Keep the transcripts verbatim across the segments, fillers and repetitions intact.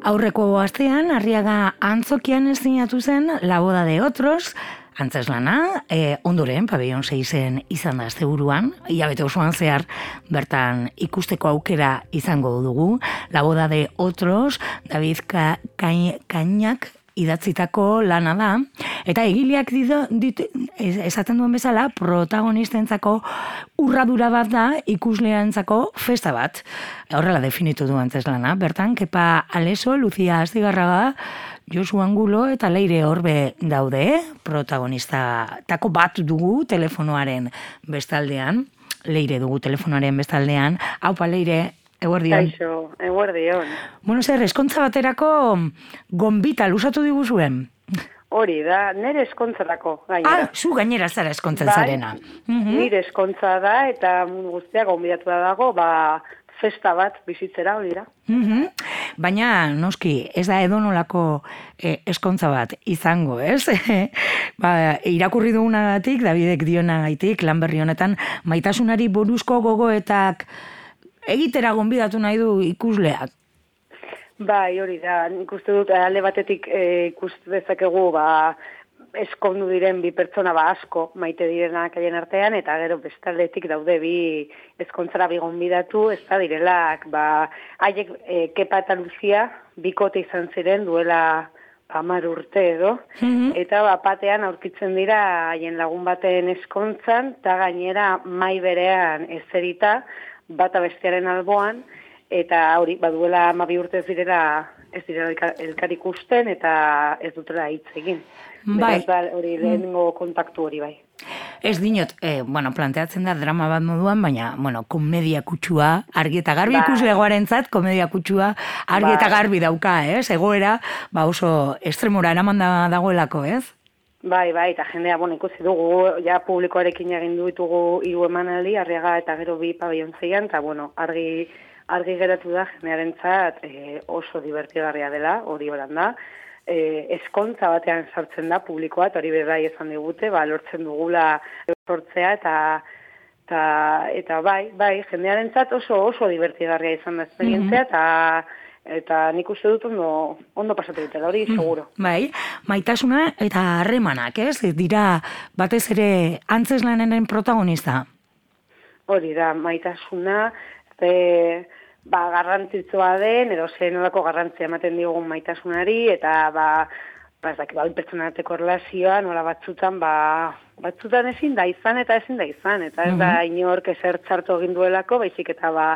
Aurreko astean, Arriaga Antzokian ezinatu zen La boda de otros, antzeslana, e, ondoren, pabellon seisen izan da asteburuan, hilabete osoan zehar bertan ikusteko aukera izango dugu. La boda de otros, David Ka, Ka, Kainak idatzitako lana da, eta egileak ditu, ditu, esaten duen bezala, protagonistentzako urradura bat da, ikusleantzako festa bat. Horrela definitu du antzeslana. Bertan, Kepa Aleso, Lucia Astigarraga, Josu Angulo eta Leire Orbe daude, protagonista tako bat dugu telefonoaren bestaldean, Leire dugu telefonoaren bestaldean. Haupa, Leire, eguerdion. Kaixo, eguerdion. Bueno, zer, eskontza baterako gonbita lusatu diguzuen? Hori da, nire eskontzarako, gainera. Ah, zu gainera zara eskontzen zarena. Mm-hmm. Nire eskontza da, eta mundu guztia gonbidatu da dago, ba, festa bat bizitzera, hori da. Mm-hmm. Baina, noski, ez da edonolako eh, eskontza bat izango, ez? ba, irakurri dugunagatik, Davidek dionagaitik, lan berri honetan, maitasunari buruzko gogoetak egitera gonbidatu nahi du ikusleak. Bai, hori da, nik uste dut, alde batetik e, ikustu dezakegu, ba, eskondu diren bi pertsona ba asko maite direnak haien artean, eta gero bestaldetik daude bi eskontzara bi gonbidatu, ez da direlak, ba, haiek e, Kepa eta Lucia bikote izan ziren duela hamar urte edo, mm-hmm. eta ba, batean aurkitzen dira haien lagun baten eskontzan, eta gainera mai berean ezerita, bata bestearen alboan, eta hori, baduela hamabi urte ez direla, ez direla elkar ikusten, eta ez dutela hitz egin. Bai. Beraz, hori lehenengo kontaktu hori bai. Ez dinot, eh, bueno, planteatzen da drama bat moduan, baina, bueno, komedia kutsua, argi eta garbi ba. Ikuslegoarentzat, komedia kutsua, argi ba. Eta garbi dauka, ez? Egoera, ba oso estremora eraman da dagoelako, ez? Bai, bai, eta jendea, bueno, ikusi dugu, ja publikoarekin egin ditugu hiru emanaldi, Arriaga eta gero bi pabellon zeian, eta, bueno, argi, argi geratu da jendearentzat e, oso divertigarria dela, hori horan da. E, eskontza batean sartzen da publikoa, eta hori bai esan digute, ba, lortzen dugula sortzea, eta, eta, eta bai, bai, jendearentzat oso oso divertigarria izan da esperientzia, eta eta nik uste dut ondo, ondo pasatu dutela, hori seguro. Bai, maitasuna eta harremanak, ez? Dira batez ere antzeslanenen protagonista. Hori da, maitasuna, e, ba, garrantzitsua den, edo zen nolako garrantzia ematen diogun maitasunari, eta ba, ba, ez dakit, ba, pertsonateko relazioa, nola batzutan, ba, batzutan ezin da izan, eta ezin da izan, eta ez da inork ezer txartu egin duelako, baizik eta ba,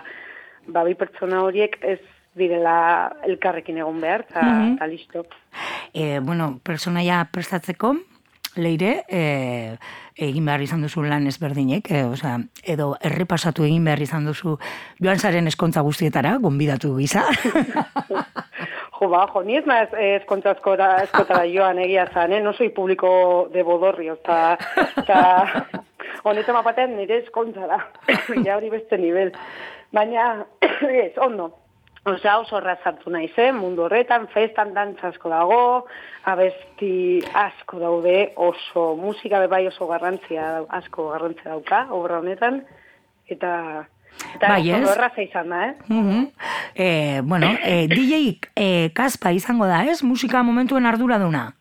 ba, bi pertsona horiek ez direla elkarrekin egon behar, eta mm-hmm. listo. E, bueno, personaia prestatzeko, Leire, e, egin behar izan duzu lan ezberdinek, e, osea, edo errepasatu egin behar izan duzu joan zaren eskontza guztietara, gonbidatu gisa. jo, ba, jo, ni ez naiz eskontza eskotara joan egia zan, eh? No soy público de bodorrio, eta honetan mapatean nire eskontza da, ja hori beste nivel. Baina, ez, ondo. Osea, oso errazartu nahi zen, mundu horretan, festan dantza asko dago, abesti asko daude, oso musika bai oso garrantzia, asko garrantzia dauka, obra honetan, eta, eta bai, oso erraza izan da, eh? Uh-huh. eh bueno, eh, D J eh, Kaspa izango da, ez? Musika momentuen arduraduna?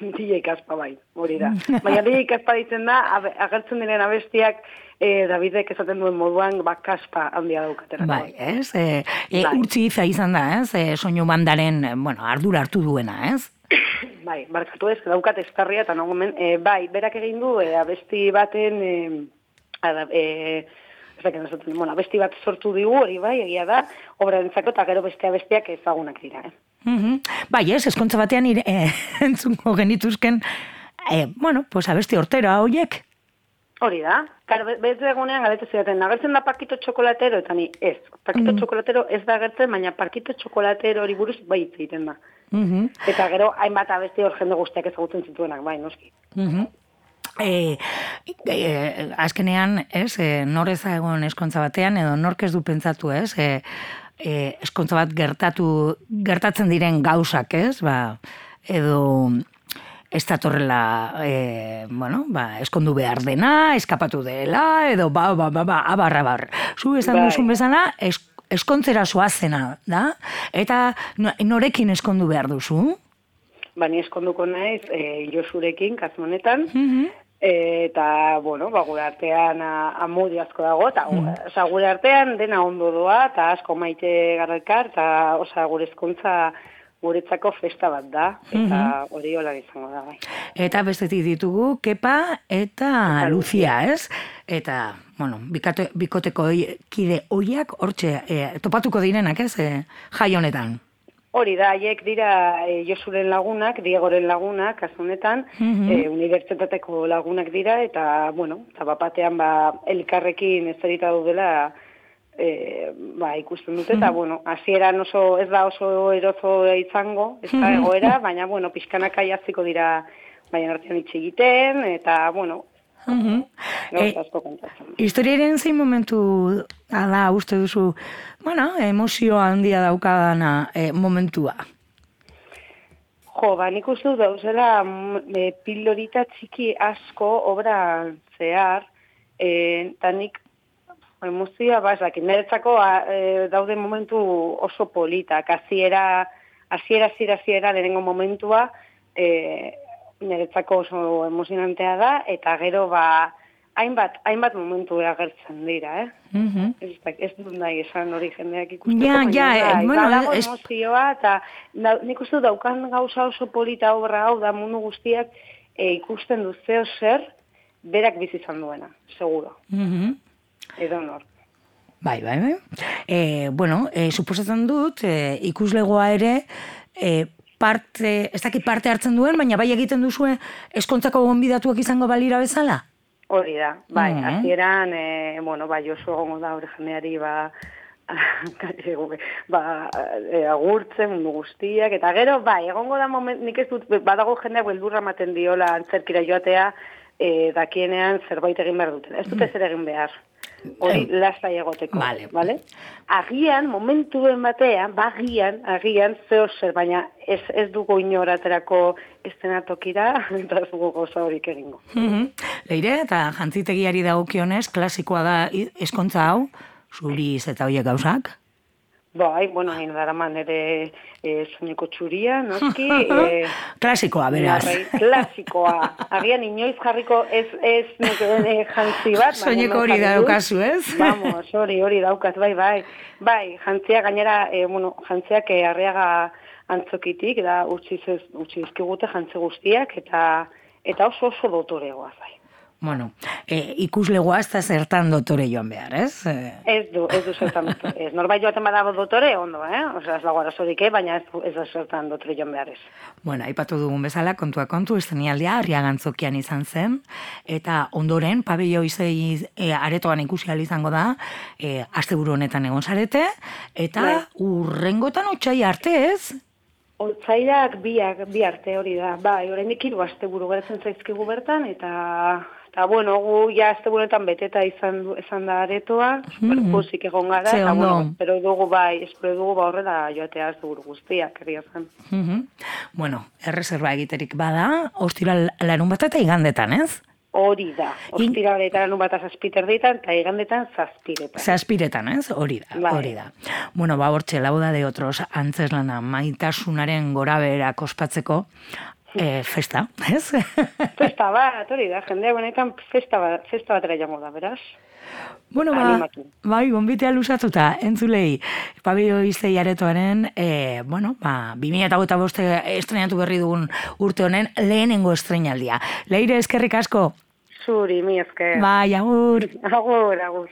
D J Kaspa bai, hori da. Baina D J Kaspa ditzen da, agertzen diren abestiak, E, Davidek esaten duen moduan, ba, kaspa handia daukatera. Bai, ez? E, e, bai. Urtzi iza izan da, ez? E, soinu bandaren, bueno, ardura hartu duena, ez? Bai, barkatu ez, daukat estarria, eta nagomen, e, bai, berak egin du, e, abesti baten, e, ada, e, ez dakit esaten, bueno, abesti bat sortu digu, hori bai, egia da, obra dentzako, eta gero beste abestiak ezagunak dira, eh? Mm-hmm. Bai, ez, eskontza batean ire, e, entzungo genituzken, e, bueno, pues abesti hortera horiek. Hori da, kar, bez egunean galetu zidaten, agertzen da parkito txokolatero, eta ni ez, parkito mm. txokolatero ez da agertzen, baina parkito txokolatero hori buruz bai hitz egiten da. Mm-hmm. Eta gero, hainbat abesti hor jende guztiak ezagutzen zituenak, bai, noski. Mm-hmm. E, e, azkenean, ez, e, nor ez egon eskontza batean, edo nork ez du pentsatu, ez, e, e, eskontza bat gertatu, gertatzen diren gauzak, ez, ba, edo... ez datorrela, e, bueno, ba, eskondu behar dena, eskapatu dela, edo ba, ba, ba, ba, abar, abar. Zu esan Bai. duzun bezala, es, eskontzera zoazena, da? Eta norekin eskondu behar duzu? Ba, ni eskonduko naiz, e, Josurekin, kasmonetan, Mhm. eta, bueno, ba, gure artean amodi asko dago, eta mm. oza, gure artean dena ondo doa, eta asko maite garrelkar, eta oza, gure ezkontza guretzako festa bat da, eta mm-hmm. hori hola izango da, bai. Eta bestetik ditugu, Kepa eta, eta Lucia, ez? Eta, bueno, bikate, bikoteko kide hoiak hortxe e, topatuko direnak, ez? E, jai honetan. Hori da, haiek dira e, Josuren lagunak, Diegoren lagunak, kasu honetan, mm-hmm. e, unibertsitateko lagunak dira, eta, bueno, eta bapatean, ba, elkarrekin ez zerita daudela, e, ba, ikusten dute, eta, mm-hmm. bueno, hasieran oso, ez da oso erozo izango, ez da egoera, baina, bueno, pixkanaka jaziko dira, baina artean itxe egiten, eta, bueno, Uh-huh. E, historiaren zein momentu da uste duzu, bueno, emozio handia daukadana e, momentua? Jo, ba, nik uste dut dauzela e, pildorita txiki asko obra zehar, eta e, nik emozioa, ba, ezak, niretzako e, daude momentu oso politak, aziera, aziera, aziera, aziera, lehenengo momentua, e, niretzako oso emozionantea da, eta gero, ba, hainbat, hainbat momentu agertzen dira, eh? Mm-hmm. Ez, ez dut nahi esan hori jendeak ikusteko. Ja, ja, da, bueno, dago es... emozioa, eta da, nik uste daukan gauza oso polita obra hau da mundu guztiak e, ikusten du zeo zer, berak bizi izan duena, seguro. Mm-hmm. Edo nor. Bai, bai, bai. E, bueno, e, suposatzen dut, e, ikuslegoa ere, e, parte, ez dakit parte hartzen duen, baina bai egiten duzue eskontzako gonbidatuak izango balira bezala? Hori da, bai, mm-hmm. azieran, e, bueno, bai, oso gongo da hori jendeari, ba, ba, e, agurtzen mundu guztiak, eta gero, bai, egongo da moment, nik ez dut, badago jendeak beldurra maten diola antzerkira joatea, e, dakienean zerbait egin behar duten. Ez dute zer egin behar. Hori lasai egoteko, vale. Vale? Agian, momentuen batean, bagian, agian, zeo zer, baina ez, ez dugu inoraterako estenatokira, eta ez dugu goza horik egingo. Mm-hmm. Leire, eta jantzitegiari dagokionez, klasikoa da eskontza hau, zuriz eta hoiek gauzak? Bai, bueno, hain daraman ere e, soineko txuria, noski. E, klasikoa, beraz. Narrai, klasikoa. Agian inoiz jarriko ez, ez e, jantzi bat. Soineko hori daukazu, ez? Vamos, hori, hori daukaz, bai, bai. Bai, jantzia gainera, e, bueno, jantziak e, Arriaga antzokitik, da utzi dizkigute jantzi guztiak, eta eta oso oso dotoregoa, bai. Bueno, e, ikuslegoa ez da zertan dotore joan behar, ez? Ez du, ez du zertan dotore. Ez, norbait joaten badago dotore, ondo, eh? Osea, ez dago arazorik, baina ez, ez da zertan dotore joan behar ez. Bueno, aipatu dugun bezala, kontua kontu, estenialdia Arriaga antzokian izan zen, eta ondoren, pabello izei e, aretoan ikusi ahal izango da, e, asteburu honetan egon zarete, eta bai. Urrengotan otsai arte, ez? Otsaiak biak, bi arte hori da. Bai, oraindik hiru asteburu geratzen zaizkigu bertan, eta... Eta, bueno, gu ja asteburunetan beteta izan, izan da aretoa, mm-hmm. pozik egon gara, eta, bueno, espero dugu bai, espero dugu ba horrela joatea asteburu guztiak, egia zen. Mm-hmm. Bueno, erreserba egiterik bada, ostiral larun bat eta igandetan, ez? Hori da, ostiral eta larun bat zazpiter ditan, eta igandetan zazpiretan. Zazpiretan, ez? Hori da, bai. Hori da. Bueno, ba, hortxe, lauda de otros antzeslana maitasunaren gora beherak ospatzeko, E, festa, ez? Festa bat, hori da, jendea benetan festa bat, festa batera jango da, beraz? Bueno, ba, bai, gonbitea lusatuta, entzulei, pabello izei aretoaren, e, bueno, ba, bi mila hogeita bost estrenatu berri dugun urte honen lehenengo estrenaldia. Leire, eskerrik asko? Zuri, mi esker. Bai, agur. Agur, agur.